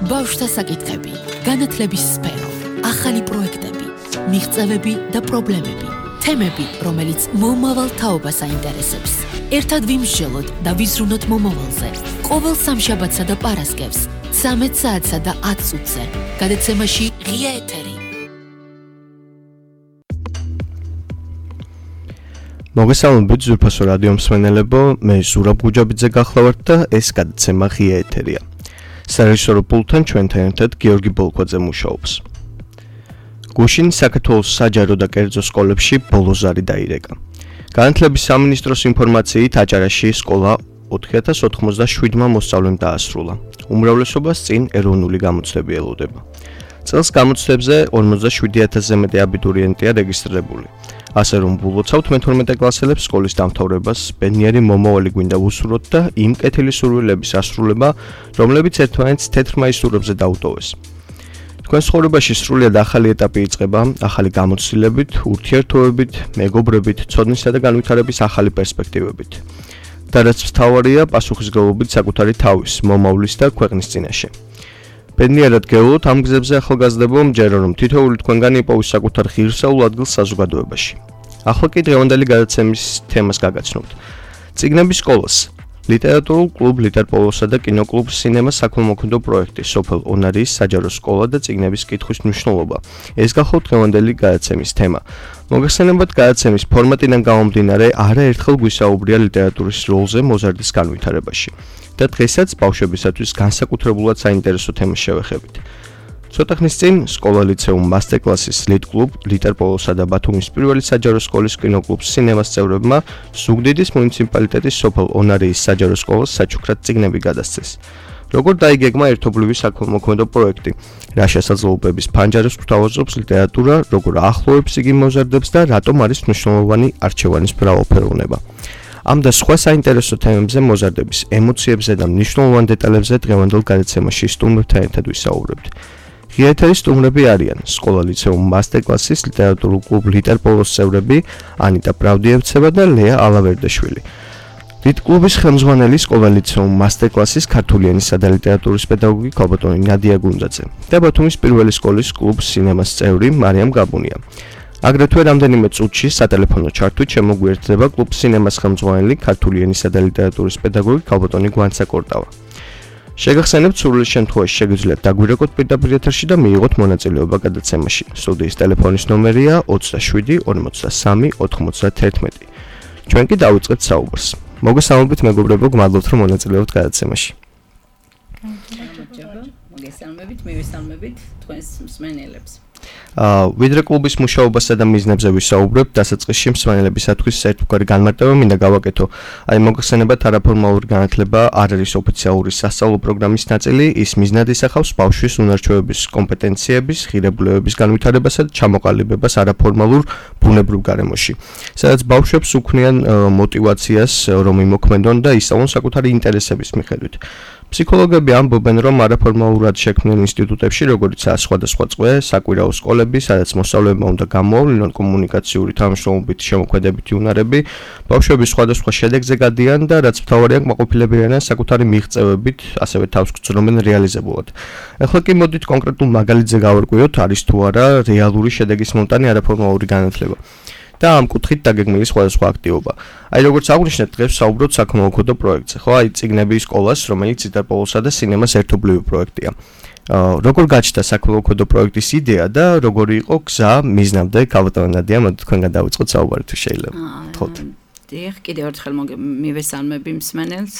ბავშვთა საკითხები, განათლების სფერო, ახალი პროექტები, მიღწევები და პრობლემები, თემები, რომელიც მომავალ თაობას აინტერესებს. ერთად ვიმსჯელოთ და ვიზრუნოთ მომავალზე. ყოველ სამშაბათსა და პარასკევს, 13 საათსა და 10 წუთზე. გადაცემაში ღია ეთერი. მოგესალმებით ზურფასო რადიო მსმენელებო, მე ზურაბ გუჯაბიძე გახლავართ და ეს გადაცემა ღია ეთერია. სარეჟისორო პულტთან ჩვენთან ერთად გიორგი ბოლქვაძე მუშაობს. გუშინ საქართველოს საჯარო და კერძო სკოლებში ბოლოზარი დაირეკა. განათლების სამინისტროს ინფორმაციით აჭარაში სკოლა 4097-მა მოსწავლემ დაასრულა. უმრავლესობას წინ ეროვნული გამოცდები ელოდება. წელს გამოცდებზე 47000-ზე მეტი აბიტურიენტია რეგისტრირებული. ასე რომ ვილოცავთ მე-12 კლასელებს სკოლის დამთავრებას, ბედნიერი მომავალი გვინდა ვუსურვოთ და იმ კეთილი სურვილების ასრულება, რომლებიც ერთმანეთს თეთრ მაისურებზე დაუტოვეს. თქვენ ცხოვრებაში სრულიად ახალი ეტაპი იწყება, ახალი გამოცდილებით, ურთიერთობებით, მეგობრებით, ცოდნისა და განვითარების ახალი პერსპექტივებით. და რაც მთავარია, პასუხისმგებლობით საკუთარი თავის, მომავლის და ქვეყნის წინაშე. ბედნიერად გეულოთ ამ გზებზე ახალგაზრდებო, მჯერა რომ თითოეული თქვენგანი იპოვის საკუთარ ღირსეულ ადგილს საზოგადოებაში. ახლა კი დღევანდელი გადაცემის თემას გაგაცნობთ. წიგნების სკოლას, ლიტერატურულ კლუბ ლიტერპოლოსა და კინოკლუბ სინემა საქველმოქმედო პროექტი, სოფელ ონარიის საჯარო სკოლა და წიგნების კითხვის მნიშვნელობა. ეს გახლავთ დღევანდელი გადაცემის თემა. მოგეხსენებათ, გადაცემის ფორმატიდან გამომდინარე, არაერთხელ გვისაუბრია ლიტერატურის როლზე მოზარდის განვითარებაში. და დღესაც ბავშვებისათვის განსაკუთრებულად საინტერესო თემას შევეხებით. ცოტა ხნის წინ სკოლა ლიცეუმ მასტერკლასის ლიტკლუბ ლიტერპოლოსა და ბათუმის პირველი საჯარო სკოლის კინოკლუბ სინემას წევრებმა ზუგდიდის მუნიციპალიტეტის სოფელ ონარიის საჯარო სკოლას საჩუქრად წიგნები გადასცეს. როგორ დაიგეგმა ერთობლივი საქველმოქმედო პროექტი, რა შესაძლებლობების ფანჯარებს გვთავაზობს ლიტერატურა, როგორ ახლოვებს იგი მოზარდებს და რატომ არის მნიშვნელოვანი არჩევანის მრავალფეროვნება. ამ და სხვა საინტერესო თემებზე მოზარდების ემოციებზე და მნიშვნელოვან დეტალებზე დღევანდელ გადაცემაში სტუმრებთან ერთად ვისაუბრებთ. ღია ეთერის სტუმრები არიან სკოლა ლიცეუმ მასტერკლასის ლიტერატურულ კლუბ ლიტერპოლოს წევრები ანიტა პრავდიევცევა და ლეა ალავერდაშვილი. ლიტკლუბის ხელმძღვანელი სკოლა ლიცეუმ მასტერკლასის ქართული ენისა და ლიტერატურის პედაგოგი ქალბატონი ნადია გუნძაძე და ბათუმის პირველი სკოლის კლუბ სინემას წევრი მარიამ გაბუნია. აგრეთვე რამდენიმე წუთში სატელეფონო ჩართვით შემოგვიერთდება კლუბ სინემას ხელმძღვანელი ქართული ენისა და ლიტერატურის პედაგოგი ქალბატონი გვანცა კორტავა. შეგახსენებთ, სრული შემთხვევაში შეგიძლიათ დაგვირეკოთ პირდაპირ ეთერში და მიიღოთ მონაწილეობა გადაცემაში. სტუდიის ტელეფონის ნომერია 27 43 91. ჩვენ კი დავიწყებთ საუბარს. მოგესალმებით მეგობრებო, გმადლობთ რომ მონაწილეობთ გადაცემაში. მოგესალმებით, მივესალმებით თქვენს მსმენელებს. ვიდრე კლუბის მუშაობასა და მიზნებზე ვისაუბრებთ, დასაწყისში მსმენელებისათვის ერთგვარი განმარტება მინდა გავაკეთო. მოგეხსენებათ, არაფორმალური განათლება არ არის ოფიციალური სასწავლო პროგრამის ნაწილი, ის მიზნად ისახავს ბავშვის უნარჩვევების კომპეტენციების, ღირებულებების განვითარებასა და ჩამოყალიბებას არაფორმალურ ბუნებრივ გარემოში, სადაც ბავშვებს უქმნიან მოტივაციას, რომ იმოქმედონ და ისწავლონ საკუთარი ინტერესების მიხედვით. ფსიქოლოგები ამბობენ, რომ არაფორმალურად შექმნილ ინსტიტუტებში, როგორიცაა სხვადასხვა წყვე, საკვირაო სკოლები, სადაც მოსწავლეებმა უნდა გამოავლინონ კომუნიკაციური თანამშრომლობით შემოქმედებითი უნარები, ბავშვები სხვადასხვა შედეგზე გადიან და რაც მთავარია, კმაყოფილები არიან საკუთარი მიღწევებით, ასევე თავს გრძნობენ რეალიზებულად. ახლა კი მოდით კონკრეტულ მაგალითზე გავარკვიოთ, არის თუ არა რეალური შედეგის მომტანი არაფორმალური განათლება. და ამ კუთხით დაგეგმილი სხვადასხვა აქტივობა. როგორც აღვნიშნეთ, დღეს ვსაუბრობთ საქველმოქმედო პროექტზე, ხო? წიგნების სკოლას, რომელიც ლიტერპოლოსა და სინემას ერთობლივი პროექტია. როგორ გაჩნდა საქველმოქმედო პროექტის იდეა და როგორი იყო გზა მიზნამდე? ქალბატონი ნადია, მოდით თქვენგან დავიწყოთ საუბარი თუ შეიძლება. თხოვთ. დიახ, კიდევ ერთხელ მივესალმები მსმენელს.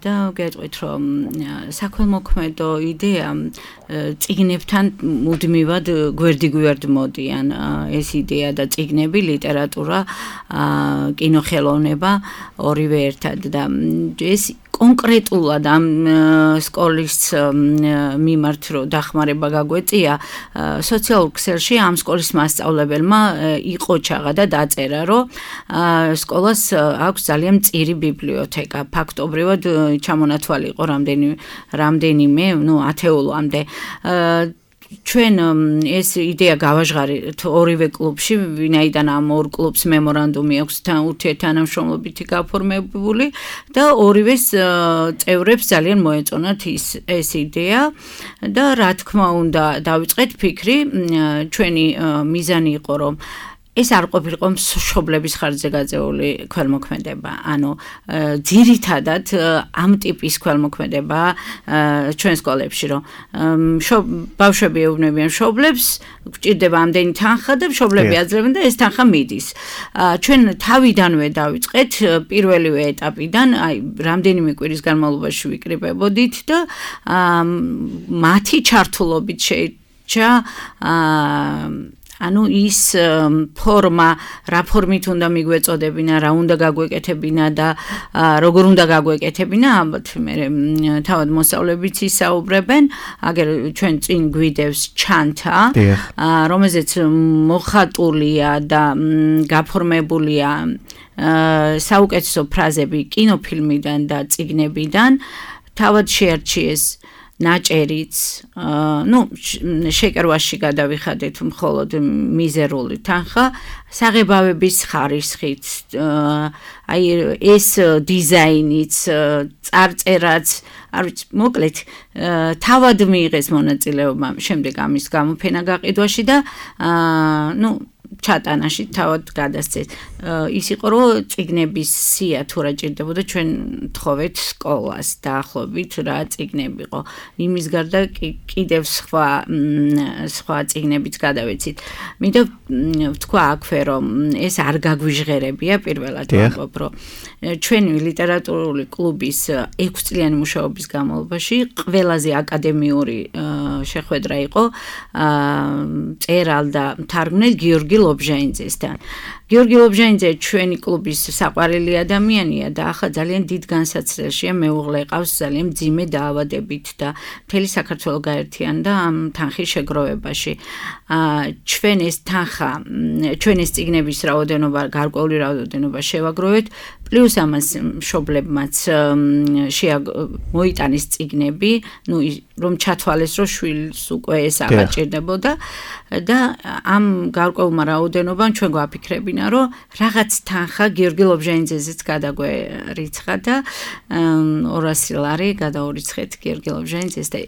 და გეტყვით, რომ საქველმოქმედო იდეა წიგნებთან მუდმივად გვერდიგვერდ მოდიან. ეს იდეა და წიგნები, ლიტერატურა, კინოხელოვნება ორივე ერთად და ეს კონკრეტულად ამ სკოლის მიმართ რო დახმარება გაგვეწია, სოციალურ ქსელში ამ სკოლის მასწავლებელმა იყო ჩაღა და დაწერა, რომ სკოლას აქვს ძალიან მწირი ბიბლიოთეკა. ფაქტობრივად ჩამონათვალი იყო რამდენიმე, ათეულამდე. ჩვენ ეს იდეა გავაჟღარით ორივე კლუბში, ვინაიდან ამ ორ კლუბს მემორანდუმი აქვს ურთიერთთანამშრომლობითი გაფორმებული და ორივეს წევრებს ძალიან მოეწონათ ეს იდეა და რა თქმა უნდა დავიწყეთ ფიქრი, ჩვენი მიზანი იყო რომ ეს არ ყოფილიყო მშობლების ხარჯზე გაწეული ქველმოქმედება, ანუ ძირითადად ამ ტიპის ქველმოქმედება ჩვენ სკოლებში, რომ ბავშვები ეუბნებიან მშობლებს, გვჭირდება ამდენი თანხა და მშობლები აძლევენ და ეს თანხა მიდის. ჩვენ თავიდანვე დავიწყეთ პირველივე ეტაპიდან, აი რამდენიმე კვირის განმავლობაში ვიკრიბებოდით და მათი ჩართულობით შეიჭრა ანუ ის ფორმა, რა ფორმით უნდა მიგვეწოდებინა, რა უნდა გაგვეკეთებინა და როგორ უნდა გაგვეკეთებინა, ალბათ მე თავად მოსწავლებიც ისაუბრებენ, აგერ ჩვენ წინ გვიდევს ჩანთა, რომელზეც მოხატულია და გაფორმებულია საუკეთესო ფრაზები კინოფილმიდან და წიგნებიდან, თავად შეარჩიეს ნაჭერიც, შეკრვაში გადავიხადეთ მხოლოდ მიზერული თანხა, საღებავების ხარისხით, აი ეს დიზაინიც, წარწერაც, არ ვიცი, მოკლედ, თავად მიიღეს მონაწილეობა შემდეგ ამის გამოფენა გაყიდვაში და ჩატანაში თავად გადასცეს. ის იყო, რომ წიგნების სია თუ რა ჭირდებოდა, ჩვენ თხოვეთ სკოლას დაახლოებით რა წიგნები იყო. იმის გარდა კიდევ სხვა წიგნებიც გადავეცით. მინდა ვთქვა აქვე, რომ ეს არ გაგვიჟღერებია პირველად ვამბობ, რომ ჩვენი ლიტერატურული კლუბის 6 წლიანი მუშაობის განმავლობაში ყველაზე აკადემიური შეხვედრა იყო წერალ და მთარგმნელ გიორგი ლობჟანიძესთან. გიორგი ლობჟანიძე ჩვენი კლუბის საყვარელი ადამიანია და ახლა ძალიან დიდ განსაცდელშია, მეუღლე ყავს ძალიან მძიმე დაავადებით და მთელი საქართველო გაერთიანდა ამ თანხის შეგროვებაში. ჩვენ ეს თანხა, ჩვენ ეს წიგნების რაოდენობა, გარკვეული რაოდენობა შევაგროვეთ, პლუს ამას მშობლებმაც მოიტანეს წიგნები, რომ ჩათვალეს, რომ შვილს უკვე ეს აღარ ჭირდებოდა და ამ გარკვეულმა რაოდენობამ ჩვენ გვაფიქრებინა, რომ რაღაც თანხა გიორგი ლობჟანიძეზეც გადაგვერიცხა და 200 ლარი გადაურიცხეთ გიორგი ლობჟანიძეს და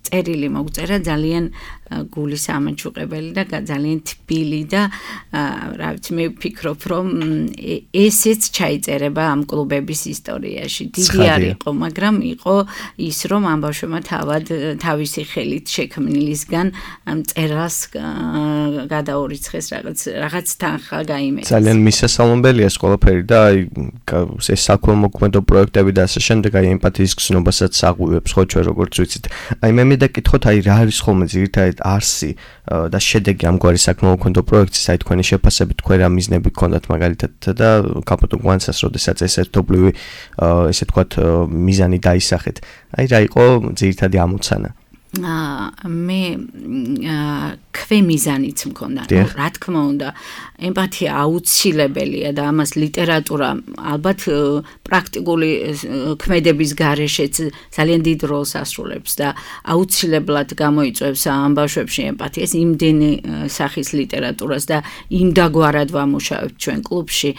წერილი მოგწერა ძალიან გულის ამაჩუყებელი და ძალიან თბილი და რა ვიცი მე ვფიქრობ რომ ესეც ჩაიწერება ამ კლუბების ისტორიაში. დიდი არ იყო, მაგრამ იყო ის რომ ამ ბავშვებმა თავისი ხელით შექმნილისგან წერას გადაურიცხეს რაღაც თანხა გაიმეცეს. ძალიან მისასალმებელია ეს ყველაფერი და აი ეს საქველმოქმედო პროექტები და ასე შემდეგ აი ემპათიის გზნობასაც აღვივებს ხო ჩვენ როგორც ვიცით. აი მე მედაკითხოთ აი რა არის ხოლმე ძირითადად არსი და შედეგი ამგვარი საქველმოქმედო პროექტის, აი თქვენი შეფასებით თქვენ რა მიზნები გქონდათ მაგალითად და კაპიტონ გვანცას როდესაც ეს ერთობლივი ესე თქვათ მიზანი დაისახეთ. აი რა იყო ძირითადი ამოცანა? მე ქვემიზანიც მქონდა. რა თქმა უნდა, ემპათია აუცილებელია და ამას ლიტერატურა ალბათ პრაქტიკული ქმედების გარეშეც ძალიან დიდ როლს ასრულებს და აუცილებლად გამოიწვევს ამ ბავშვებში ემპათიას, იმდენი სახის ლიტერატურას და იმდაგვარად ვამუშავებთ ჩვენ კლუბში,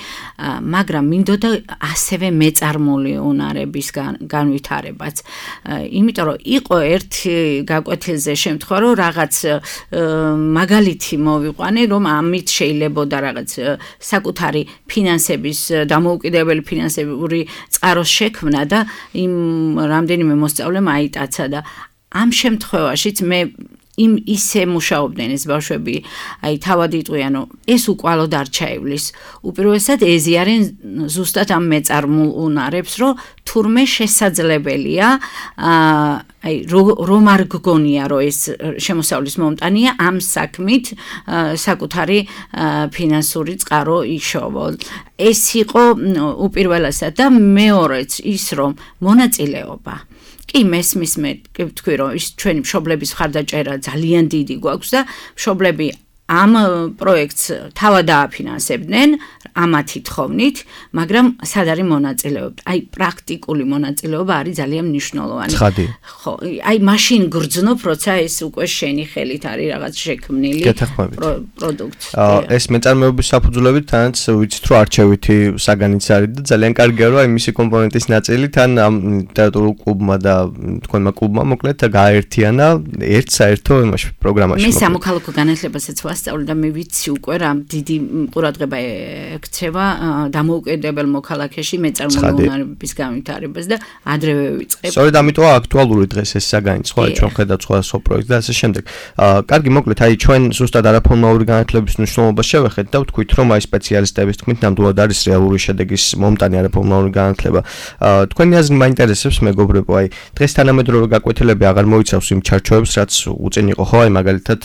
მაგრამ მინდოდა ასევე მეწარმული უნარების განვითარებაც. იმიტომ რომ იყო ერთი გაკვეთილზე შემთხვევა, რომ რაღაც მაგალითი მოვიყვანე, რომ ამით შეიძლებოდა რაღაც საკუთარი ფინანსების დამოუკიდებელი ფინანსური წყაროს შექმნა და იმ რამდენიმე მოსწავლემ აიტაცა და ამ შემთხვევაშიც მე ისე მუშაობდნენ ეს ბავშვები, აი თავად იტყვიან, რომ ეს უკვალოდ არ ჩაივლის. უპირველესად ეზიარენ ზუსტად ამ მეწარმულ უნარებს, რომ თურმე შესაძლებელია, აი რომ არ გგონია, რომ ეს შემოსავლის მომტანია ამ საქმით საკუთარი ფინანსური წყარო იშოვო. ეს იყო უპირველესად და მეორეც ის, რომ მონაწილეობა კი მესმის მე ვთქვი რომ ის ჩვენი მშობლების ხარდაჭერა ძალიან დიდი გვაქვს და მშობლები ამ პროექტს თავად დააფინანსებდნენ ამათი თხოვნით, მაგრამ სად არის მონაწილეობა? აი პრაქტიკული მონაწილეობა არის ძალიან მნიშვნელოვანი. ხო, აი მაშინ გრძნობ, როცა ეს უკვე შენი ხელით არის რაღაც შექმნილი პროდუქტი. ეს მეწარმეობის საფუძვლებით თანაც ვიცით, რომ არჩევითი საგანიც არის და ძალიან კარგია, რომ აი მისი კომპონენტის ნაწილი თან ამ ლიტერატურულ კლუბმა და თქვენმა კლუბმა მოკლედ გააერთიანა ერთ საერთო იმაში პროგრამაში. მე სამოქალაქო განათლებასაც ვასწავლე და მე ვიცი უკვე რა დიდი ყურადღება ექცევა დამოუკიდებელ მოქალაქეში მეწარმოებული უნარების განვითარებას და ადრევე ვიწყებ. სწორედ ამიტომა აქტუალური დღეს ეს საგანიც, ხო, ჩვენ ხედავთ სხვადასხვა პროექტს და ასე შემდეგ. კარგი, მოკლედ, აი ჩვენ ზუსტად არაფორმალური განათლების მნიშვნელობას შევეხეთ და ვთქვით, რომ აი სპეციალისტების თქმით ნამდვილად არის რეალური შედეგის მომტანი არაფორმალური განათლება. თქვენი აზრი მაინტერესებს, მეგობრებო, აი დღეს თანამედროვე გაკვეთილები აღარ მოიცავს იმ ჩარჩოებს, რაც უწინ იყო, ხო, აი მაგალითად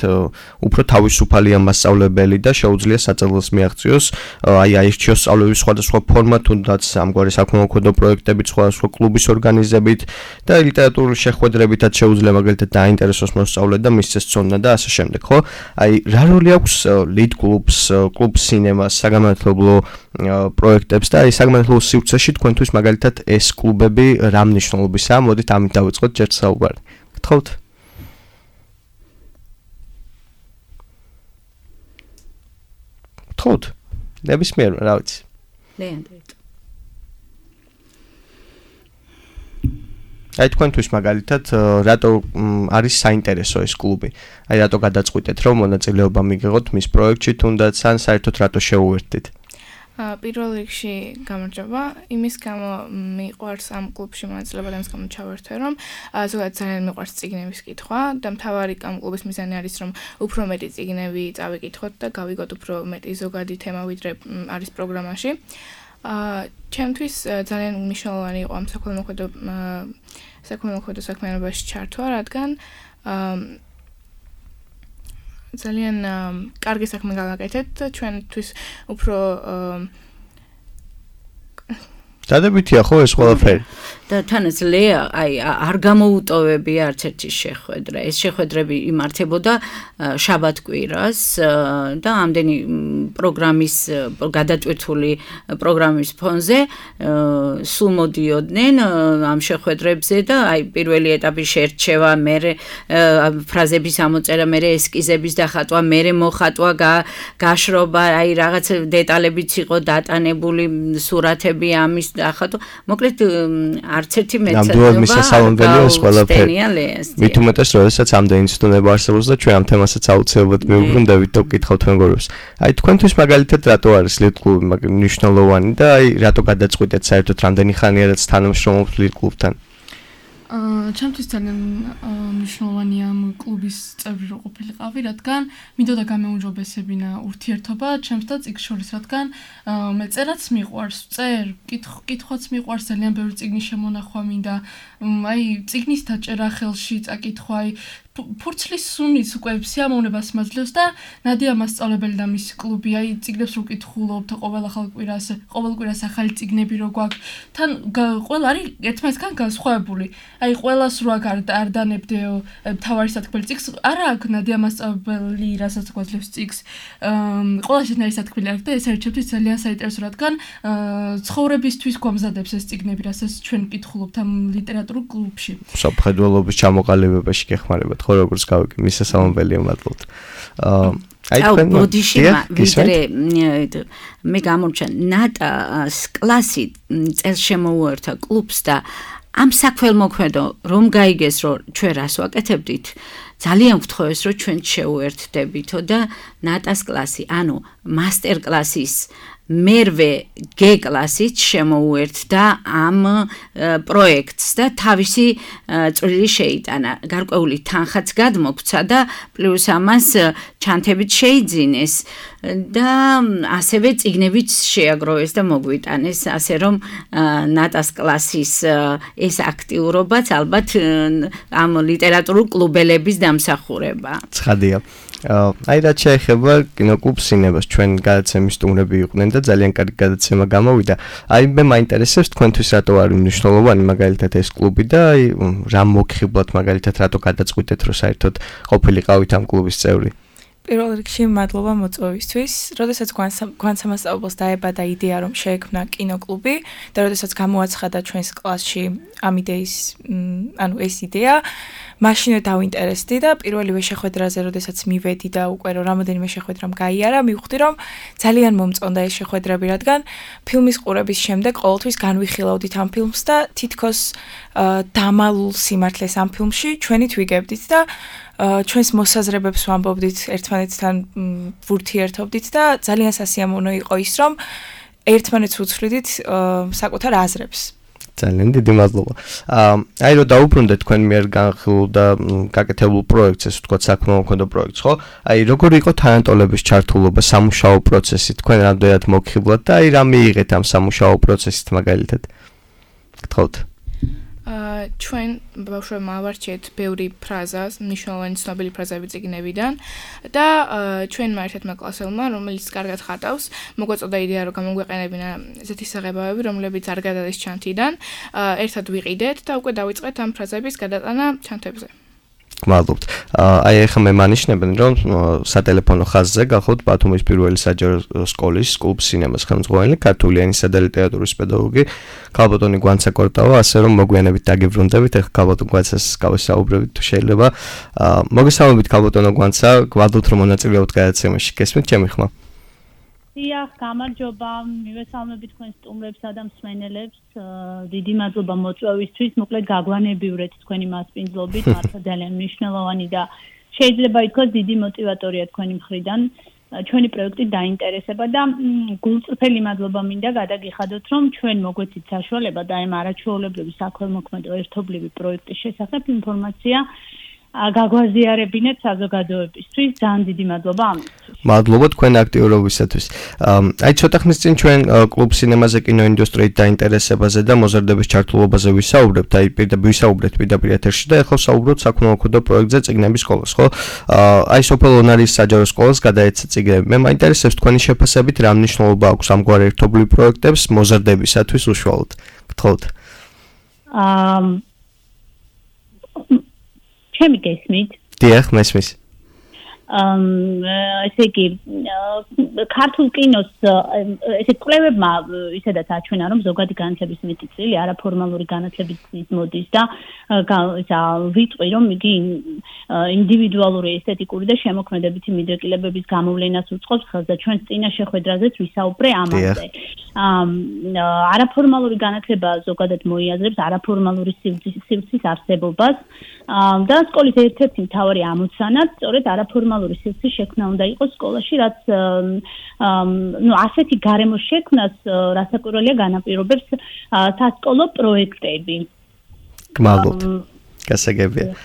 უფრო თავისუფალია მასწავლებელი და შეუძლია საწელს მიაღწიოს, აი აირჩიოს სწავლების სხვადასხვა ფორმა, თუნდაც ამგვარი საქველმოქმედო პროექტებით, სხვადასხვა კლუბის ორგანიზებით და ლიტერატურული შეხვედრებითაც შეუძლია მაგალითად დაინტერესოს მოსწავლე და მისცეს ცოდნა და ასე შემდეგ, ხო? აი რა როლი აქვს ლიდ კლუბს, კლუბ სინემას, საგანმანათლებლო პროექტებს და აი საგანმანათლებლო სივრცეში თქვენთვის მაგალითად ეს კლუბები რა მნიშვნელობისაა? მოდით ამით დავიწყოთ ჯერ საუბარი. გთხოვთ? გთხოვთ? ნებისმიერ, რა ვიცი. აი თქვენთვის მაგალითად რატო არის საინტერესო ეს კლუბი? აი რატო გადაწყვიტეთ რომ მონაწილეობა მიგიღოთ მის პროექტში თუნდაც ან საერთოდ რატო შეუერთდით? პირველ რიგში გამარჯობა, იმის გამო მიყვარს ამ კლუბში მონაწილეობა და იმის გამო ჩავერთვე, რომ ზოგადად ძალიან მიყვარს წიგნების კითხვა და მთავარი ამ კლუბის მიზანი არის, რომ უფრო მეტი წიგნები წავიკითხოთ და გავიგოთ უფრო მეტი ზოგადი თემა, ვიდრე არის პროგრამაში. ჩემთვის ძალიან მნიშვნელოვანი იყო ამ საქველმოქმედო საქმიანობაში ჩართვა, რადგან ძალიან კარგი საქმე გავაკეთეთ ჩვენთვის უფრო დადებითია ხო ეს ყველაფერი? და თანაც ლეა აი არ გამოუტოვებია არც ერთი შეხვედრა. ეს შეხვედრები იმართებოდა შაბათ-კვირას და ამდენი პროგრამის გადატვირთული პროგრამის ფონზე სულ მოდიოდნენ ამ შეხვედრებზე და აი პირველი ეტაპი შერჩევა, მერე ფრაზების ამოწერა, მერე ესკიზების დახატვა, მერე მოხატვა, გაშრობა, აი რაღაც დეტალებიც იყო დატანებული, სურათები ამის დახატვა. მოკლედ არც ერთი ნამდვილად მისასალმებელია ეს ყველაფერი. მით უმეტეს, როდესაც ამდენი ცდონება არსებობს და ჩვენ ამ თემასაც აუცილებლად მივუბრუნდებით და ვკითხავთ მეგობრებს. აი თქვენთვის მაგალითად რატო არის ლიდ კლუბი მნიშვნელოვანი და აი რატო გადაწყვიტეთ საერთოდ რამდენი ხანია რაც თანამშრომლობთ ლიდ კლუბთან? ჩემთვის ძალიან მნიშვნელოვანია ამ კლუბის წევრი რო ყოფილიყავი, რადგან მინდოდა გამეუმჯობესებინა ურთიერთობა ჩემს და წიგნს შორის, რადგან მე წერაც მიყვარს, კითხვაც მიყვარს, ძალიან ბევრი წიგნის შემონახვა მინდა, აი წიგნის დაჭერა ხელში წაკითხვა, აი ფურცლის სუნიც უკვე სიამოვნებას მაძლევს და ნადია მასწავლებელი და მისი კლუბი, აი წიგნებს რო კითხულობთ ყოველ კვირას ახალი წიგნები რო გვაქვს, თან ყველა არის ერთმანეთთან განსხვავებული. აი ყველას რო არ დანებდეო თავარი სათქმელი წიგს, არა აქვს ნადია მასწავლებელი რასაც გვაძლევს წიგს. ყველა შეთანხმების სათქმელი აქვს და ეს არის ჩემთვის ძალიან საინტერესო, რადგან ცხოვრებისთვის გვამზადებს ეს წიგნები, რასაც ჩვენ ვკითხულობთ ამ ლიტერატურულ კლუბში. სამხედველობის ჩამოყალიბებაში გეხმარებათ ხო როგორც გავიგე, მისასალმებელია მადლობთ. აი ბოდიში ვიდრე მე გამორჩა ნატას კლასი წელს შემოუერთა კლუბს და ამ საქველმოქმედო რომ გაიგეს რომ ჩვენ რას ვაკეთებდით ძალიან ვთხოვეს რომ ჩვენ შევუერთდებითო და ნატას კლასი ანუ მასტერ კლასის მერვე G კლასით შემოუერთდა ამ პროექტს და თავისი წვლილი შეიტანა. გარკვეული თანხაც გადმოგვცა და პლუს ამას ჩანთებით შეიძინეს და ასევე წიგნებიც შეაგროვეს და მოგვიტანეს, ასე რომ ნატას კლასის ეს აქტიურობაც ალბათ ამ ლიტერატურულ კლუბელების დამსახურება. ცხადია. აი რაც შეეხება კინოკლუბ სინემას, ჩვენ გადაცემის სტუმრები იყვნენ და ძალიან კარგი გადაცემა გამოვიდა. აი მე მაინტერესებს თქვენთვის რატო არის მნიშვნელოვანი მაგალითად ეს კლუბი და აი რა მოგხიბლათ მაგალითად რატო გადაწყვიტეთ რომ საერთოდ ყოფილიყავით ამ კლუბის წევრი? პირველ რიგში მადლობა მოწვევისთვის. როდესაც გვანსამასწავლებლს დაებადა იდეა, რომ შეექმნა კინოკლუბი და როდესაც გამოაცხადა ჩვენს კლასში ამ იდეის, ეს იდეა, მაშინვე დავინტერესდი და პირველივე შეხვედრაზე, როდესაც მივედი და უკვე რამოდენიმე შეხვედრამ გაიარა, მივხვდი, რომ ძალიან მომწონდა ეს შეხვედრები, რადგან ფილმის ყურების შემდეგ ყოველთვის განვიხილავდით ამ ფილმს და თითქოს დამალულ სიმართლეს ამ ფილმში ჩვენით ვიგებდით და ჩვენს მოსაზრებებს ვამბობდით ერთმანეთთან ვურთიერთობდით და ძალიან სასიამოვნო იყო ის, რომ ერთმანეთს უცვლიდით საკუთარ აზრებს. ძალიან დიდი მადლობა. აი რომ დაუბრუნდეთ თქვენ მიერ განხილულ და გაკეთებულ პროექტს, ესე ვთქვათ, საქმრომოქმედო პროექტს, ხო? აი როგორი იყო თანატოლების ჩართულობა სამუშაო პროცესში, თქვენ რამდენად მოგხიბლათ და აი რა მიიღეთ ამ სამუშაო პროცესით მაგალითად? გთხოვთ. ჩვენ ბავშვებმა ავარჩიეთ ბევრი ფრაზა, მნიშვნელოვანი ცნობილი ფრაზები წიგნებიდან და ჩვენმა ერთ-ერთმა კლასელმა, რომელიც კარგად ხატავს, მოგვაწოდა იდეა, რომ გამოგვეყენებინა ესეთი საღებავები, რომლებიც არ გადადის ჩანთიდან, ერთად ვიყიდეთ და უკვე დავიწყეთ ამ ფრაზების გადატანა ჩანთებზე. გმადლობთ. აი ახლა მე მანიშნებენ, რომ სატელეფონო ხაზზე გახოთ ბათუმის პირველი საჯარო სკოლის კლუბ სინემას ხელმძღვანელი, ქართული ენისა და ლიტერატურის პედაგოგი ქალბატონი გვანცა კორტავა, ასე რომ მოგვიანებით დაგიბრუნდებით, ახლა ქალბატონ გვანცას გავესაუბრებით თუ შეიძლება. მოგესალმებით ქალბატონო გვანცა, გვალდობთ რომ მონაწილეობთ გადაცემაში. გესმით ჩემი ხმა? დიახ, გამარჯობა, მივესალმებით თქვენს სტუმრებსა და მსმენელებს. დიდი მადლობა მოწვევისთვის. მოკლედ გაგვანებიურეთ თქვენი მასპინძლობით, მართლა ძალიან მნიშვნელოვანი და შეიძლება ითქვას დიდი мотиваტორია თქვენი მხრიდან ჩვენი პროექტით დაინტერესება და გულწრფელი მადლობა მინდა გადაგიხადოთ, რომ ჩვენ მოგვეცით საშუალება და ამ არაჩვეულებრივი საქველმოქმედო ერთობლივი პროექტის შესახებ ინფორმაცია გაგვაზიარებინეთ საზოგადოებისთვის. ძალიან დიდი მადლობა ამისთვის. მადლობა თქვენ აქტიურობისათვის. აი ცოტა ხნის წინ ჩვენ კლუბ სინემაზე კინოინდუსტრიით დაინტერესებაზე და მოზარდების ჩართულობაზე ვისაუბრებთ, აი ვისაუბრეთ პირდაპირ ეთერში და ახლა ვსაუბრობთ საქმრომოქმედო პროექტზე წიგნების სკოლას, ხო? აი სოფელ ონარის საჯარო სკოლას გადაეცა წიგნები. მე მაინტერესებს თქვენი შეფასებით რა მნიშვნელობა აქვს ამგვარ ერთობლივ პროექტებს მოზარდებისათვის უშუალოდ. გთხოვთ. ჩემი გესმით? დიახ, მესმის. ესე იგი ქართულ კინოს ესე კვლევებმა ისედაც აჩვენა, რომ ზოგადი განათლების მეტი წილი არაფორმალური განათლებით მოდის და ვიტყვი, რომ იგი ინდივიდუალური ესთეტიკური და შემოქმედებითი მიდრეკილებების გამოვლენას უწყობს ხელს და ჩვენს წინა შეხვედრაზეც ვისაუბრე ამაზე. არაფორმალური განათლება ზოგადად მოიაზრებს არაფორმალური სივრცის არსებობას და სკოლის ერთ-ერთი მთავარი ამოცანაც სწორედ არაფორმალური სივრცის შექმნა უნდა იყოს სკოლაში, რაც ასეთი გარემოს შექმნას რასაკვირველია განაპირობებს სასკოლო პროექტები. გმადლობთ. გასაგებია.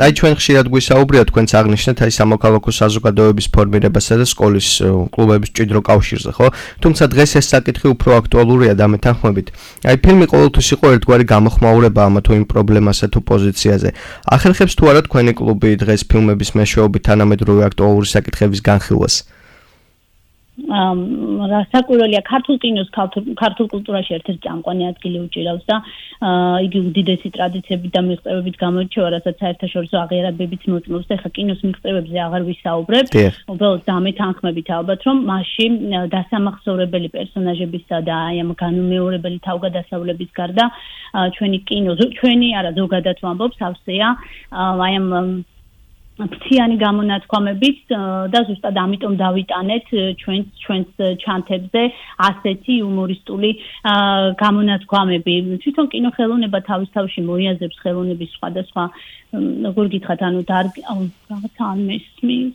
აი ჩვენ ხშირად გვისაუბრია თქვენც აღნიშნეთ აი სამოქალაქო საზოგადოების ფორმირებასა და სკოლის კლუბების მჭიდრო კავშირზე, ხო? თუმცა დღეს ეს საკითხი უფრო აქტუალურია და მეთანხმებით. აი ფილმი ყოველთვის იყო ერთგვარი გამოხმაურება ამა თუ იმ პრობლემასა თუ პოზიციაზე. ახერხებს თუ არა თქვენი კლუბი დღეს ფილმების მეშვეობით თანამედროვე აქტუალური საკითხების განხილვას? რასაკვირველია ქართულ კინოს ქართულ კულტურაში ერთ-ერთი წამყვანი ადგილი უჭირავს და იგი უდიდესი ტრადიციებით და მიღწევებით გამოირჩევა, რასაც საერთაშორისო აღიარებებიც მოწმობს და ხა კინოს მიღწევებზე აღარ ვისაუბრებთ. უბრალოდ დამეთანხმებით ალბათ, რომ მასში დასამახსოვრებელი პერსონაჟებისა და აი ამ განუმეორებელი თავგადასავლების გარდა ჩვენი კინო, ჩვენი არა ზოგადად ვამბობ, სავსეა აი ამ ფრთიანი გამონათქვამებით და ზუსტად ამიტომ დავიტანეთ ჩვენს ჩანთებზე ასეთი იუმორისტული გამონათქვამები. თვითონ კინოხელოვნება თავის თავში მოიაზრებს ხელოვნების სხვადასხვა როგორ გითხრათ, ანუ რაღაცა არ მესმის.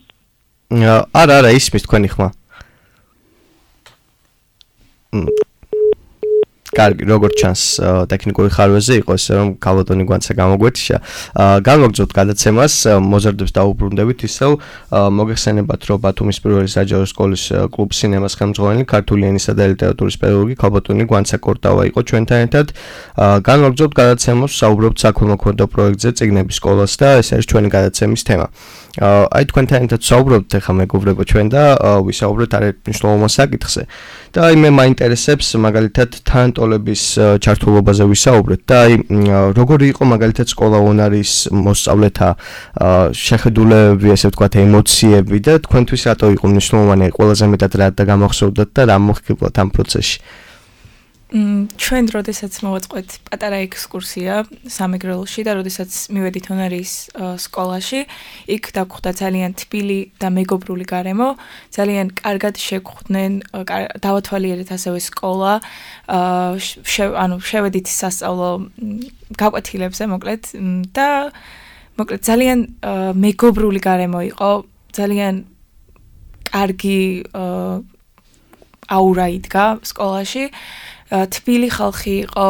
არა, ისმის თქვენი ხმა. კარგი, როგორც ჩანს, ტექნიკური ხარვეზე იყო ესე რომ ქალბატონი გვანცა გამოგვეთიშა. განვაგრძობთ გადაცემას, მოზარდებს დაუბრუნდებით ისევ მოგეხსენებათ, რომ ბათუმის პირველი საჯარო სკოლის კლუბ სინემას ხელმძღვანელი, ქართული ენისა და ლიტერატურის პედაგოგი ქალბატონი გვანცა კორტავა იყო ჩვენთან ერთად. განვაგრძობთ გადაცემას, ვსაუბრობთ საქმრომოქმედო პროექტზე წიგნების სკოლას და ეს არის ჩვენი გადაცემის თემა. აი თქვენთან ერთად ვსაუბრობთ ახლა მეგობრებო ჩვენ და ვისაუბრეთ არაერთმნიშვნელოვან საკითხზე. და აი მე მაინტერესებს მაგალითად თანტო მოსწავლეების ჩართულობაზე ვისაუბრეთ და აი როგორი იყო მაგალითად სკოლაონარის მოსწავლეთა შეხედულებები, ესე ვთქვათ, ემოციები და თქვენთვის რატო იყო მნიშვნელოვანი, ყველაზე მეტად რა გამახსოვდათ და რა მოხიბლათ ამ პროცესში? ჩვენ როდესაც მოვაწყოთ პატარა ექსკურსია სამეგრელოში და როდესაც მივედით ონარის სკოლაში, იქ დაგვხვდა ძალიან თბილი და მეგობრული გარემო, ძალიან კარგად შეგხვდნენ, დავათვალიერეთ ასევე სკოლა, შევედით სასწავლო გაკვეთილებზე მოკლედ და მოკლედ ძალიან მეგობრული გარემო იყო, ძალიან კარგი აურა იდგა სკოლაში. თბილი ხალხი იყო,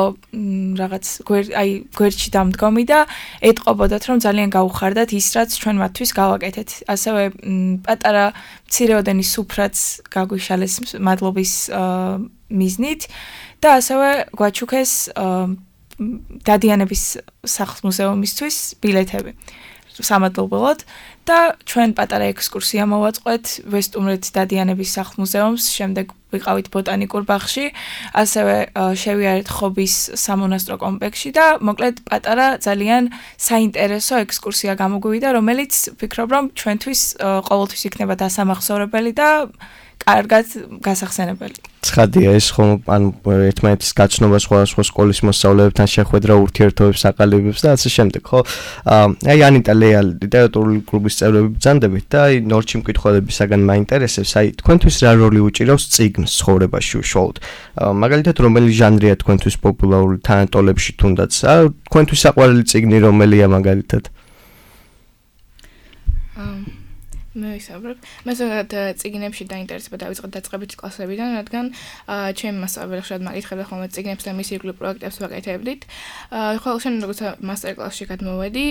რაღაც გვერდში დამდგომი და ეტყობოდათ, რომ ძალიან გაუხარდათ ის, რაც ჩვენ მათთვის გავაკეთეთ. ასევე პატარა მცირეოდენი სუფრაც გაგვიშალეს მადლობის მიზნით და ასევე გვაჩუქეს დადიანების სახლ-მუზეუმისთვის ბილეთები სამადლობელად და ჩვენ პატარა ექსკურსია მოვაწყოთ ვესტუმრეთ დადიანების სახლ-მუზეუმს, შემდეგ ვიყავით ბოტანიკურ ბაღში, ასევე შევიარეთ ხობის სამონასტრო კომპლექსში და მოკლედ პატარა ძალიან საინტერესო ექსკურსია გამოგვივიდა, რომელიც ვფიქრობ, რომ ჩვენთვის ყოველთვის იქნება დასამახსოვრებელი და კარგად გასახსენებელი. ცხადია ეს ხომ ანუ ერთმანეთის გაცნობა სხვადასხვა სკოლის მოსწავლეებთან შეხვედრა ურთიერთობებს აყალიბებს და ასე შემდეგ, ხო? აი ანიტა ლეა ლიტერატურული კლუბის წევრები ბრძანდებით და აი ნორჩი მკითხველებისაგან მაინტერესებს, აი თქვენთვის რა როლი უჭირავს წიგნს ცხოვრებაში უშუალოდ? მაგალითად რომელი ჟანრია თქვენთვის პოპულარული თანატოლებში თუნდაც? თქვენთვის საყვარელი წიგნი რომელია მაგალითად? მე ვისაუბრებ. მე ზოგადად წიგნებში დაინტერესება დავიწყე დაწყებითი კლასებიდან, რადგან ჩემი მასწავლებელი ხშირად მაგითხებდა ხოლმე წიგნებს და მის ირგვლივ პროექტებს ვაკეთებდით. ხოლო შენ როგორც მასტერკლასში გადმოვედი,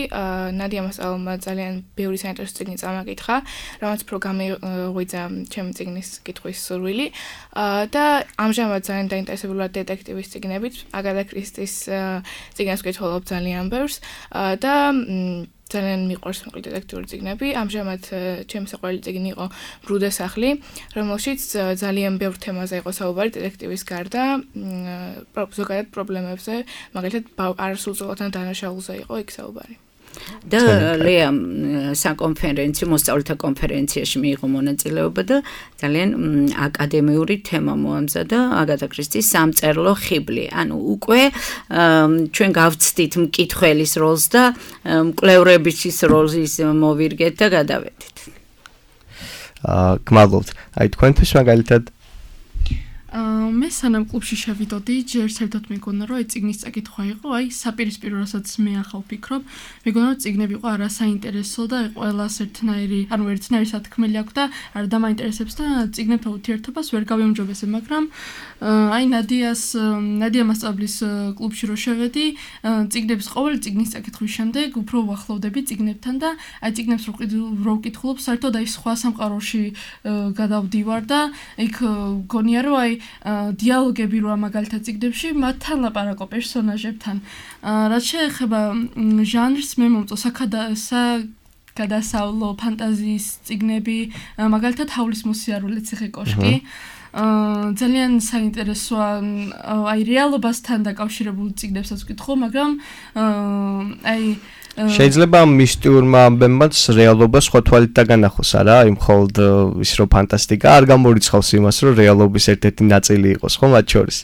ნადია მასწავლებლმა ძალიან ბევრი საინტერესო წიგნი წამაკითხა, რომელიც უფრო გამიღვიძა ჩემი წიგნის კითხვის სურვილი და ამჟამად ძალიან დაინტერესებული ვარ დეტექტივის წიგნებით. აგატა კრისტის წიგნებს ვკითხულობ ძალიან ბევრს და ძალიან მიყვარს მოკლედ დეტექტიური წიგნები. ამჟამად ჩემი საყვარელი წიგნი იყო ბრუდე სახლი, რომელშიც ძალიან ბევრ თემაზე იყო საუბარი დეტექტივის გარდა, ზოგადად პრობლემებზე, მაგალითად არასრულწლოვან დანაშაულზე იყო იქ საუბარი. და ლეა საკონფერენციო მოსწავლეთა კონფერენციაში მიიღო მონაწილეობა და ძალიან აკადემიური თემა მოამზადა აგატა კრისტის სამწერლო ხიბლი. ანუ უკვე ჩვენ გავცდით მკითხველის როლს და მკვლევრების როლს მოვირგეთ და გადავედით. გმადლობთ. აი თქვენთვის მაგალითად მე სანამ კლუბში შევიდოდი, ჯერ საერთოდ მეგონა რომ წიგნის წაკითხვა იყო, აი საპირისპირო რასაც მე ახალ ვფიქრობ, მეგონა რომ წიგნები იყო არასაინტერესო და ყველას ერთნაირი, ანუ ერთნაირი სათქმელი აქვს და არ დამაინტერესებს და წიგნებთან ურთიერთობას ვერ გავიუმჯობესებ, მაგრამ აი ნადია მასწავლებლის კლუბში რო შევედი, წიგნების ყოველი წიგნის წაკითხვის შემდეგ უფრო ვახლოვდები წიგნებთან და აი წიგნებს რო ვკითხულობ, საერთოდ აი სხვა სამყაროში გადავდივარ და იქ გონია რომ აი დიალოგები როა მაგალითად წიგნებში მათთან ლაპარაკო პერსონაჟებთან. რაც შეეხება ჟანრს, მე მომწონს გადასავლო ფანტაზიის წიგნები, მაგალითად ჰავლის მოსიარულე ციხე კოშკი. ძალიან საინტერესოა აი რეალობასთან დაკავშირებული წიგნებსაც ვკითხო, მაგრამ აი შეიძლება მისტიურმა ამბებმაც რეალობა სხვა თვალით დაგანახოს, არა? აი მხოლოდ ის რომ ფანტასტიკა არ გამორიცხავს იმას, რომ რეალობის ერთ-ერთი ნაწილი იყოს, ხო, მათ შორის.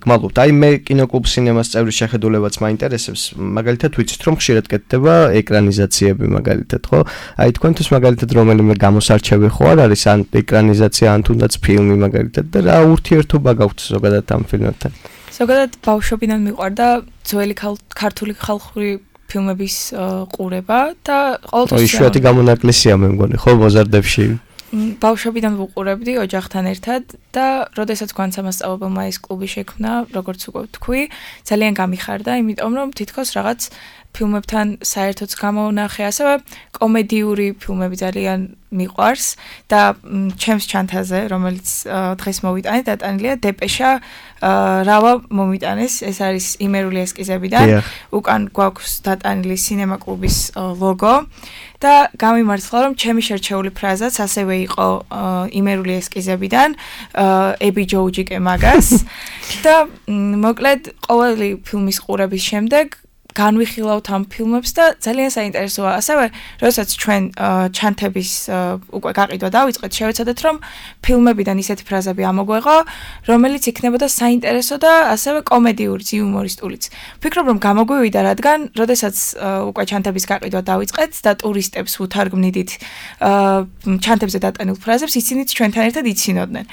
გმადლობთ. აი მე კინოკლუბ სინემას წევრის შეხედულებაც მაინტერესებს. მაგალითად ვიცით რომ ხშირად კეთდება ეკრანიზაციები მაგალითად, ხო? აი თქვენთვის მაგალითად რომელიმე გამოსარჩევი ხო არ არის ან ეკრანიზაცია ან თუნდაც ფილმი მაგალითად და რა ურთიერთობა გაქვთ ზოგადად ამ ფილმებთან? ზოგადად ბავშვობიდან მიყვარდა ძველი ქართული ხალხური ფილმების ყურება და ყოველთვის იშვიათი გამონაკლისია მე მგონი, ხო, მოზარდებში. ბავშვობიდან ვუყურებდი ოჯახთან ერთად და როდესაც განსამასწავლებელმა ეს კლუბი შექმნა, როგორც უკვე ვთქვი, ძალიან გამიხარდა, იმიტომ რომ თითქოს რაღაც ფილმებთან საერთოდ გამოვნახე, ასევე კომედიური ფილმები ძალიან მიყვარს და ჩემს ჩანთაზე, რომელიც დღეს მოვიტანე, დატანილია დეპეშა რავა მომიტანეს, ეს არის იმერული ესკიზებიდან, უკან გვაქვს დატანილი სინემა კლუბის ლოგო და გამიმართლა, რომ ჩემი შერჩეული ფრაზაც ასევე იყო იმერული ესკიზებიდან, ები ჯოუჯიკე მაგას და მოკლედ ყოველი ფილმის ყურების შემდეგ განვიხილავთ ამ ფილმებს და ძალიან საინტერესოა. ასევე, როდესაც ჩვენ ჩანთების უკვე გაყიდვა დავიწყეთ, შევეცადეთ, რომ ფილმებიდან ისეთი ფრაზები ამოგვეღო, რომელიც იქნებოდა საინტერესო და ასევე კომედიური, იუმორისტულიც. ვფიქრობ, რომ გამოგვივიდა, რადგან, როდესაც უკვე ჩანთების გაყიდვა დავიწყეთ და ტურისტებს უთარგმნიდით ჩანთებზე დატანილ ფრაზებს, ისინიც ჩვენთან ერთად იცინოდნენ.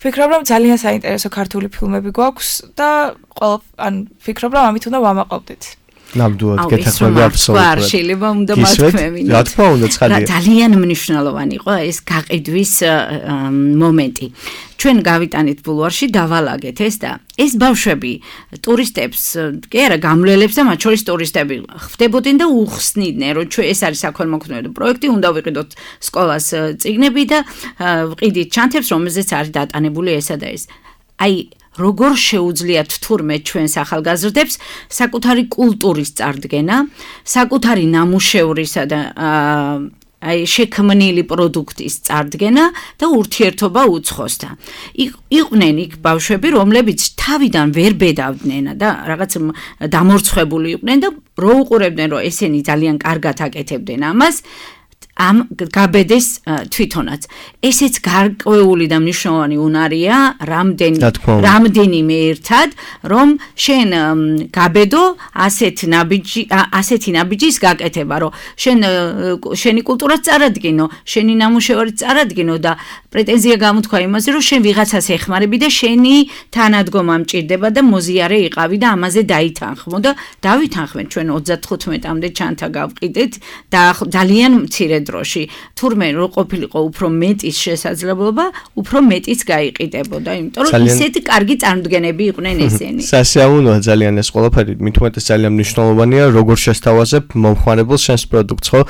ვფიქრობ, რომ ძალიან საინტერესო ქართული φιλმები გვაქვს და ვფიქრობ, რომ ამით უნდა ვამაყობდეთ. ნამდვილად გეთახმები აბსოლუტურად. შეიძლება უნდა მათქმევინოთ. რა თქმა უნდა, ცხადია. ძალიან მნიშვნელოვანი იყო ეს გაყიდვის მომენტი. ჩვენ გავიტანით ბულვარში, დავალაგეთ ეს და ეს ბავშვები ტურისტებს, კი არა, გამლელებს და მათ შორის ტურისტები ხვდებოდნენ და უხსნიდნენ, რომ ჩვენ ეს არის საქველმოქმედო პროექტი, უნდა ვიყიდოთ სკოლას წიგნები და ვყიდით ჩანთებს, რომელზეც არის დატანებული ესა და ეს. აი როგორ შეუძლიათ თურმე ჩვენს ახალგაზრდებს საკუთარი კულტურის წარდგენა, საკუთარი ნამუშევრისა და აი შექმნილი პროდუქტის წარდგენა და ურთიერთობა უცხოსთან. იყვნენ იქ ბავშვები, რომლებიც თავიდან ვერ ბედავდნენ და რაღაც დამორცხებული იყვნენ და რო უყურებდნენ, რომ ესენი ძალიან კარგად აკეთებდნენ ამას, ამ გაბედეს თვითონაც. ესეც გარკვეული და მნიშვნელოვანი უნარია, რამდენიმე ერთად, რომ შენ გაბედო ასეთი ნაბიჯის გაკეთება, რომ შენი კულტურაც წარადგინო, შენი ნამუშევარი წარადგინო და პრეტენზია გამოთქვა იმაზე, რომ შენ ვიღაცას ეხმარები და შენი თანადგომა მჭირდება და მოზიარე იყავი და ამაზე დაითანხმო და დავითანხმეთ ჩვენ 35-მდე ჩანთა გავყიდეთ და ძალიან მცირე დროში თურმე რო ყოფილიყო უფრო მეტის შესაძლებლობა, უფრო მეტიც გაიყიდებოდა, იმიტომ რომ ისეთი კარგი წარმოდგენები იყვნენ ესენი. სასიამოვნოა ძალიან ეს ყველაფერი, მით უმეტეს ძალიან მნიშვნელოვანია, როგორ შესთავაზებ მომხმარებელს შენს პროდუქტს, ხო?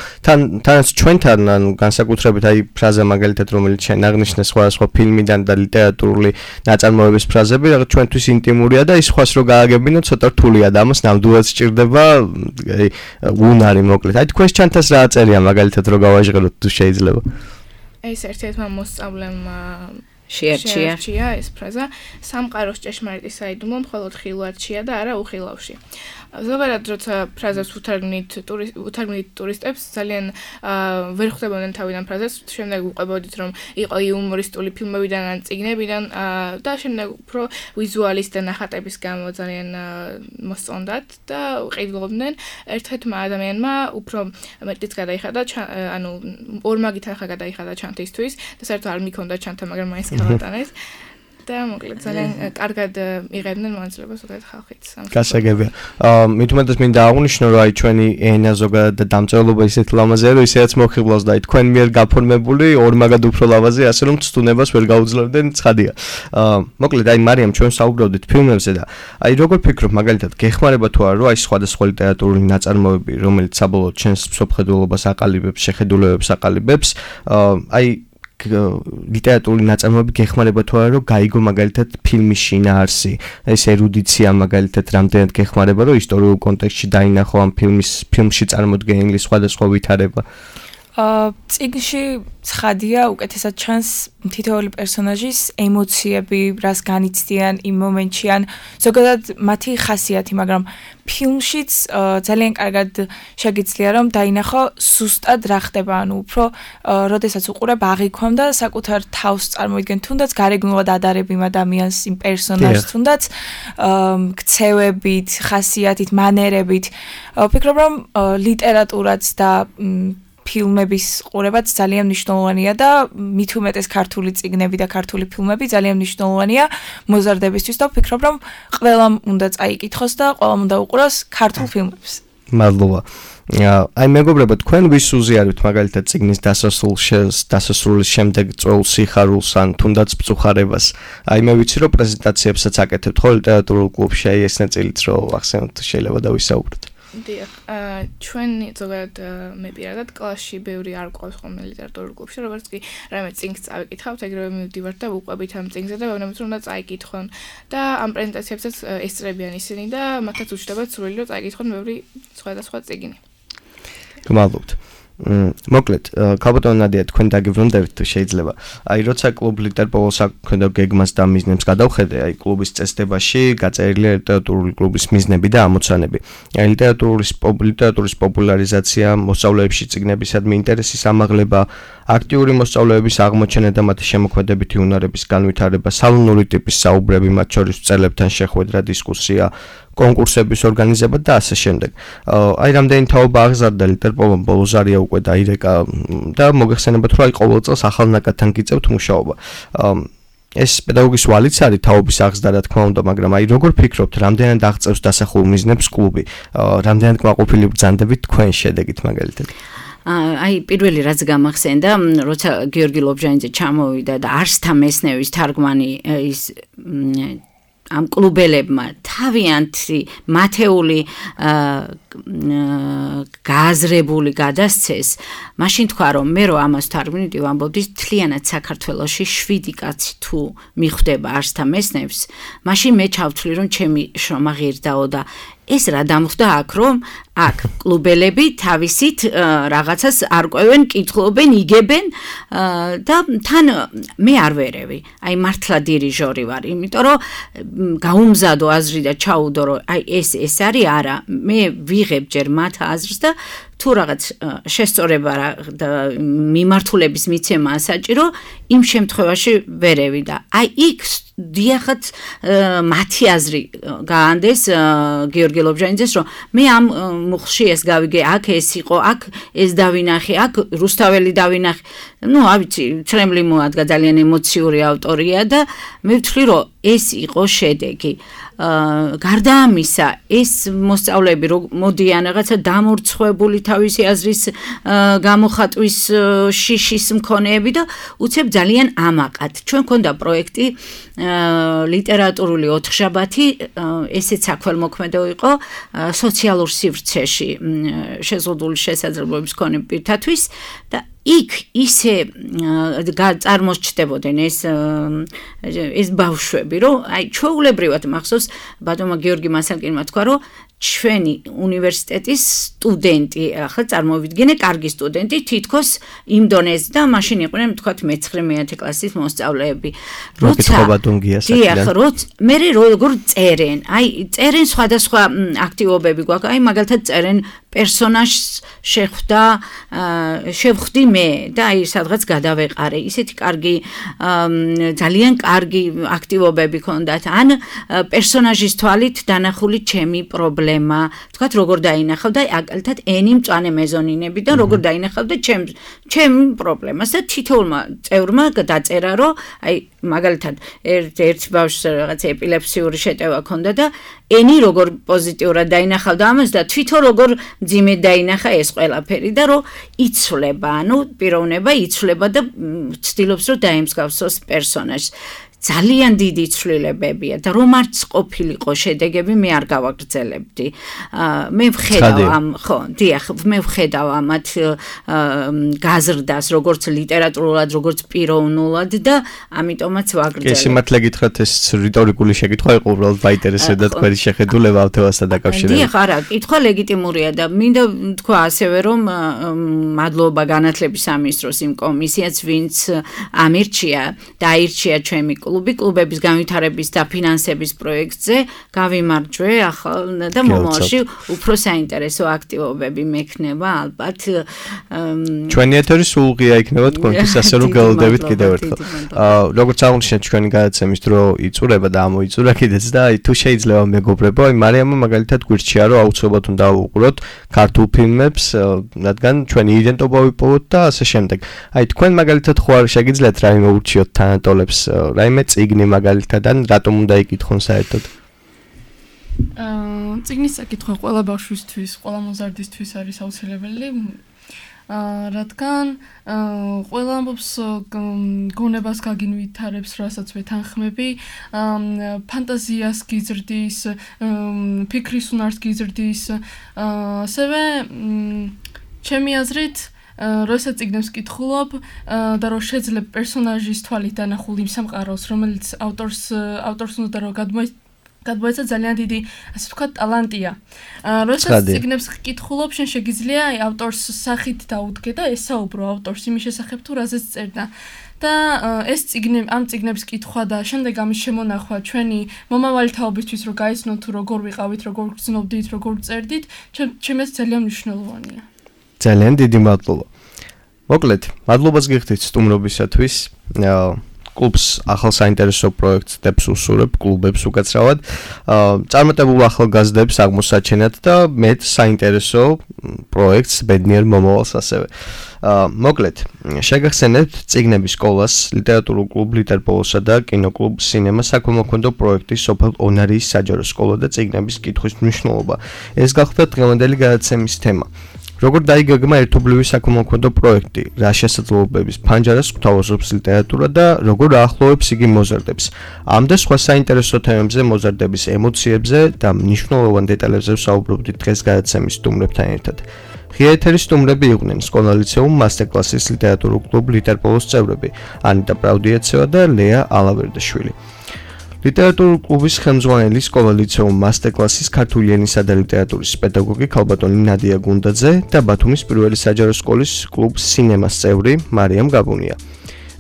თანაც ჩვენთან ან განსაკუთრებით აი ფრაზა მაგალითად, რომელიც შენ აღნიშნე სხვადასხვა ფილმიდან და ლიტერატურული ნაწარმოებების ფრაზები, რაღაც ჩვენთვის ინტიმურია და ის სხვას რო გააგებინო, ცოტა რთულია და ამას ნამდვილად სჭირდება უნარი მოკლედ. აი თქვენს ჩანთას რა წერია მაგალითად რო გავაჟღეროთ თუ შეიძლება. ეს ერთ-ერთმა მოსწავლემ შეარჩია ეს ფრაზა სამყაროს ჭეშმარიტი საიდუმლო მხოლოდ ხილვადშია და არა უხილავში. ზოგადად როცა ფრაზას უთარგმნით ტურისტებს ძალიან ვერ ხვდებოდნენ თავიდან ფრაზას, შემდეგ უყვებოდით რომ იყო იუმორისტული ფილმებიდან ან წიგნებიდან და შემდეგ უფრო ვიზუალის და ნახატების გამო ძალიან მოსწონდათ და ყიდულობდნენ. ერთ-ერთმა ადამიანმა უფრო მეტიც გადაიხადა, ანუ ორმაგი თანხა გადაიხადა ჩანთისთვის და საერთოდ არ მიქონდა ჩანთა, მაგრამ მაინც გავატანეს. და მოკლედ ძალიან კარგად იღებდნენ მონაწილეობას ზოგადად ხალხიც. გასაგებია. მით უმეტეს მინდა აღვნიშნო, რომ აი ჩვენი ენა ზოგადად და დამწერლობა ისეთ ლამაზია, რომ ისედაც მოხიბლავს და აი თქვენ მიერ გაფორმებული ორმაგად უფრო ლამაზია, ასე რომ ცდუნებას ვერ გაუძლევდნენ, ცხადია. მოკლედ აი მარიამ ჩვენ საუბრობდით ფილმებზე და აი როგორ ფიქრობ მაგალითად გეხმარება თუ არა, რომ აი სხვადასხვა ლიტერატურული ნაწარმოები, რომელიც საბოლოოდ ჩვენს მსოფლმხედველობას აყალიბებს, შეხედულებებს აყალიბებს, აი ლიტერატურული ნაწარმოები გეხმარება თუ არა, რომ გაიგო მაგალითად ფილმის შინაარსი, ეს ერუდიცია მაგალითად რამდენად გეხმარება, რომ ისტორიულ კონტექსტში დაინახო ამ ფილმში წარმოდგენილი სხვადასხვა ვითარება. წიგნში ცხადია უკეთესად ჩანს თითოეული პერსონაჟის ემოციები, რას განიცდიან იმ მომენტში ან ზოგადად მათი ხასიათი, მაგრამ ფილმშიც ძალიან კარგად შეგიძლია რომ დაინახო სუსტად რა ხდება, ანუ უფრო როდესაც უყურებ აღიქვამ და საკუთარ თავს წარმოიდგენ, თუნდაც გარეგნულად ადარებ იმ ადამიანს, იმ პერსონაჟს, თუნდაც ქცევებით, ხასიათით, მანერებით. ვფიქრობ რომ ლიტერატურაც და ფილმების ყურებაც ძალიან მნიშვნელოვანია და მით უმეტეს ქართული წიგნები და ქართული ფილმები ძალიან მნიშვნელოვანია მოზარდებისთვის და ვფიქრობ რომ ყველამ უნდა წაიკითხოს და ყველამ უნდა უყუროს ქართულ ფილმებს. მადლობა. აი მეგობრებო, თქვენ ვის უზიარებთ მაგალითად წიგნის დასასრულის შემდეგ წვეულ სიხარულს ან თუნდაც მწუხარებას? აი მე ვიცი რომ პრეზენტაციებსაც აკეთებთ ხო ლიტერატურულ კლუბში, აი ეს ნაწილიც რომ ახსენოთ შეიძლება და ვისაუბროთ. დიახ, ჩვენ ზოგადად მე პირადად კლასში ბევრი არ ყავს ხოლმე ლიტერატურულ კლუბში, როგორც კი რამე წიგნს წავიკითხავთ, ეგრევე მივდივართ და ვუყვებით ამ წიგნზე და ვეუბნებით რომ უნდა წაიკითხონ და ამ პრეზენტაციებსაც ესწრებიან ისინი და მათაც უჩნდებათ სურვილი რომ წაიკითხონ ბევრი სხვადასხვა წიგნი. გმადლობთ. მოკლედ, ქალბატონო ნადია, თქვენ დაგიბრუნდებით თუ შეიძლება. აი, როცა კლუბ ლიტერპოლოს აქვთ გეგმას და მიზნებს გადავხედე, აი, კლუბის წესდებაში გაწერილია ლიტერატურული კლუბის მიზნები და ამოცანები. აი, ლიტერატურის პოპულარიზაცია, მოსწავლეებში წიგნებისადმი ინტერესის ამაღლება, აქტიური მოსწავლეების აღმოჩენა და მათი შემოქმედებითი უნარების განვითარება, სალონური ტიპის საუბრები, მათ შორის მწერლებთან შეხვედრა, დისკუსია, კონკურსების ორგანიზება და ასე შემდეგ. აი, რამდენი თაობა აღზარდა ლიტერპოლომ ბოლოს არია უკვე დაირეკა და მოგეხსენებათ, რომ აი ყოველ წელს ახალ ნაკადთან გიწევთ მუშაობა. ეს პედაგოგის ვალიც არის თაობის აღზრდა, რა თქმა უნდა, მაგრამ აი როგორ ფიქრობთ, რამდენად აღწევს დასახულ მიზნებს კლუბი? რამდენად კმაყოფილი ბრძანდებით თქვენ შედეგით მაგალითად? აი პირველი რაც გამახსენდა, როცა გიორგი ლობჟანიძე ჩამოვიდა და არსთა მესნევის თარგმანი ის ამ კლუბელებმა თავიანთი მათეული გააზრებული გადასცეს, მაშინ თქვა რომ მე რო ამას თარგმნიდი ვამბობდი თლიანად საქართველოში 7 კაცი თუ მიხვდება არსთა მესნებს, მაშინ მე ჩავთვლი რომ ჩემი შრომა ღირდაო და ეს რა დამხვდა აქ რომ აქ კლუბელები თავისით რაღაცას არკვევენ, კითხულობენ, იგებენ და თან მე არ ვერევი. აი მართლა დირიჟორი ვარ, იმიტომ რომ გაუმზადო აზრი და ჩაუდო რომ აი ეს არის არა, მე ვიღებ ჯერ მათ აზრს და თუ რაღაც შესწორება და მიმართულების მიცემა საჭირო, იმ შემთხვევაში ვერევი და აი იქ დიახაც მათი აზრი გაანდეს გიორგი ლობჟანიძეს რომ მე ამ მუხლში ეს გავიგე, აქ ეს იყო, აქ ეს დავინახე, აქ რუსთაველი დავინახე. ნუ ავიცი, ცრემლი მოადგა ძალიან ემოციური ავტორია და მე ვთვლი რომ ეს იყო შედეგი. გარდა ამისა, ეს მოსწავლეები მოდიან რაღაცა დამორცხვებული თავისი აზრის გამოხატვის შიშის მქონეები და უცებ ძალიან ამაყად. ჩვენ გქონდა პროექტი ლიტერატურული ოთხშაბათი, ესეც საქველმოქმედო იყო სოციალურ სივრცეში შეზღუდული შესაძლებლობების მქონე პირთათვის და იქ ისე წარმოსჩდებოდნენ ეს ბავშვები, რომ აი ჩვეულებრივად მახსოვს ბატონმა გიორგი მასალკინმა თქვა, რომ ჩვენი უნივერსიტეტის სტუდენტი, ახლა წარმოვიდგინე, კარგი სტუდენტი, თითქოს იმ დონეზე და მაშინ იყვნენ, თქვათ, მე-9 კლასის მოსწავლეები. მე როგორ წერენ, აი წერენ სხვადასხვა აქტივობები გვაქვს, აი მაგალითად წერენ პერსონაჟს შევხვდი მე და აი სადღაც გადავეყარე. ისეთი კარგი ძალიან კარგი აქტივობები ქონდათ. ან პერსონაჟის თვალით დანახული ჩემი პრობლემა. თქვათ როგორ დაინახავდა აკალთად ენი მწვანე მეზონინები და როგორ დაინახავდა ჩემ პრობლემას და თითოეულმა წევრმა დაწერა რომ აი მაგალითად ერთ ბავშვს რაღაც ეპილეფსიური შეტევა ქონდა და ენი როგორ პოზიტიურად დაინახავდა ამას და თვითონ როგორ ძიმედ დაინახა ეს ყველაფერი და რომ იცვლება, ანუ პიროვნება იცვლება და ცდილობს რომ დაემსგავსოს პერსონაჟს. ძალიან დიდი ცვლილებებია და რომ არც ყოფილიყო შედეგები მე არ გავაგრძელებდი. მე ვხედავ ამათ გაზრდას როგორც ლიტერატურულად, როგორც პიროვნულად და ამიტომაც ვაგრძელებ. ეს სიმართლე გითხრათ, ეს რიტორიკული შეკითხვა იყო, უბრალოდ მაინტერესებდა თქვენი შეხედულება ამ თემასთან დაკავშირებით. დიახ, არა, კითხვა ლეგიტიმურია და მინდა თქვა ასევე რომ მადლობა განათლების სამინისტროს იმ კომისიაც, ვინც ამირჩია და აირჩია ჩემი კლუბების განვითარების და ფინანსების პროექტზე გავიმარჯვე ახლა და მომავალში უფრო საინტერესო აქტივობები მექნება ალბათ. ჩვენი ეთერი სულღია იქნება თქვენთვის, ასე რომ გელოდებით კიდევ ერთხელ. როგორც აღნიშნეთ, ჩვენი გადაცემის დრო იწურება და ამოიწურა კიდეც და აი თუ შეიძლება მეგობრებო, აი მარიამმა მაგალითად გვირჩია რომ აუცილებლად უნდა დავუყუროთ ქართულ ფილმებს, რადგან ჩვენი იდენტობა ვიპოვოთ და ასე შემდეგ. აი თქვენ მაგალითად ხო არ შეგიძლიათ რაიმე ურჩიოთ თანატოლებს, რაიმე წიგნი მაგალითად ან რატომ უნდა იკითხონ საერთოდ? წიგნის საკითხვა ყველა ბავშვისთვის, ყველა მოზარდისთვის არის აუცილებელი. რადგან ყველა ამბობს გონებას გაგინვითარებს, რასაც ვეთანხმები, ფანტაზიას გიზრდის, ფიქრის უნარს გიზრდის, ასევე ჩემი აზრით როცა წიგნებს ვკითხულობ და რომ შეძლებ პერსონაჟის თვალით დანახულ იმ სამყაროს, რომელიც ავტორს უნდა რომ გადმოეცა ძალიან დიდი, ასე ვთქვათ, ტალანტია. როცა წიგნებს ვკითხულობ, შენ შეგიძლია ავტორს სახით დაუდგე და ესაუბრო ავტორს იმის შესახებ თუ რაზეც წერდა. და ეს ამ წიგნების კითხვა და შემდეგ ამის შემონახვა ჩვენი მომავალი თაობისთვის რომ გაიცნოთ თუ როგორ ვიყავით, როგორ გრძნობდით, როგორ წერდით, ჩემს ძალიან მნიშვნელოვანია. ძალიან დიდი მადლობა. მოკლედ, მადლობას გიხდით სტუმრობისათვის. კლუბს ახალ საინტერესო პროექტს დებს უსურებ, კლუბებს უკაცრავად. წარმატებულ ახალგაზრდებს აღმოსაჩენად და მეტ საინტერესო პროექტს ბედნიერ მომავალს ასევე. მოკლედ, შეგახსენებთ წიგნების სკოლას, ლიტერატურულ კლუბ ლიტერპოლოსა და კინოკლუბ სინემა საქველმოქმედო პროექტის სოფელ ონარიის საჯარო სკოლა და წიგნების კითხვის მნიშვნელობა. ეს გახლდათ დღევანდელი გადაცემის თემა. როგორ დაიგეგმა ერთობლივი საქველმოქმედო პროექტი, რა შესაძლებლობების ფანჯარას გვთავაზობს ლიტერატურა და როგორ აახლოვებს იგი მოზარდებს. ამ და სხვა საინტერესო თემებზე, მოზარდების ემოციებზე და მნიშვნელოვან დეტალებზე ვსაუბრობდით დღეს გადაცემის სტუმრებთან ერთად. ღია ეთერის სტუმრები იყვნენ სკოლა ლიცეუმ მასტერკლასის ლიტერატურულ კლუბ ლიტერპოლოს წევრები, ანიტა პრაუდიაცევა და ლეა ალავერდაშვილი. ლიტერატურულ კლუბის ხელმძღვანელი სკოლა ლიცეუმ მასტერკლასის ქართული ენისა და ლიტერატურის პედაგოგი ქალბატონი ნადია გუნდაძე და ბათუმის პირველი საჯარო სკოლის კლუბ სინემას წევრი მარიამ გაბუნია.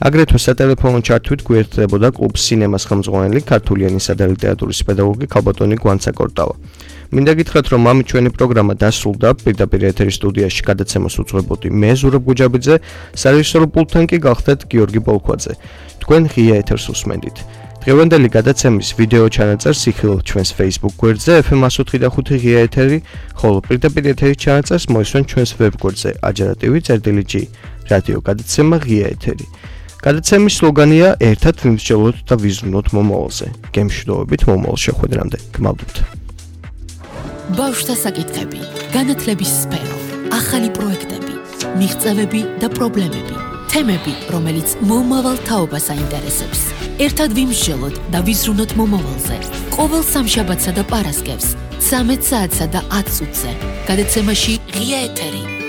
აგრეთვე სატელეფონო ჩართვით გვერდებოდა კლუბ სინემას ხელმძღვანელი ქართული ენისა და ლიტერატურის პედაგოგი ქალბატონი გვანცა კორტავა. მინდა გითხრათ, რომ ამ ჩვენი პროგრამა დასრულდა, პირდაპირ ეთერის სტუდიაში გადაცემას უძღვებოდი მე ზურაბ გუჯაბიძე, სარეჟისორო პულტთან კი გახდათ გიორგი ბოლქვაძე. თქვენ ღია ეთერს უსმენდით. დღევანდელი გადაცემის ვიდეო ჩანაწერს იხილავთ ჩვენს Facebook გვერდზე FM105 ღია ეთერი, ხოლო პირდაპირ ეთერის ჩანაწერს მოისმენთ ჩვენს ვებ გვერდზე ajaratv.g რადიო გადაცემა ღია ეთერი. გადაცემის სლოგანია ერთად ვიმსჯელოთ და ვიზრუნოთ მომავალზე. გემშვიდობებით მომავალ შეხვედრამდე. გმადლობთ. ბავშვთა საკითხები, განათლების სფერო, ახალი პროექტები, მიღწევები და პრობლემები, თემები, რომელიც მომავალ თაობას აინტერესებს. ერთად ვიმსჯელოთ და ვიზრუნოთ მომავალზე. ყოველ სამშაბათსა და პარასკევს 13 საათსა და 10 წუთზე. გადაცემაში ღია ეთერი.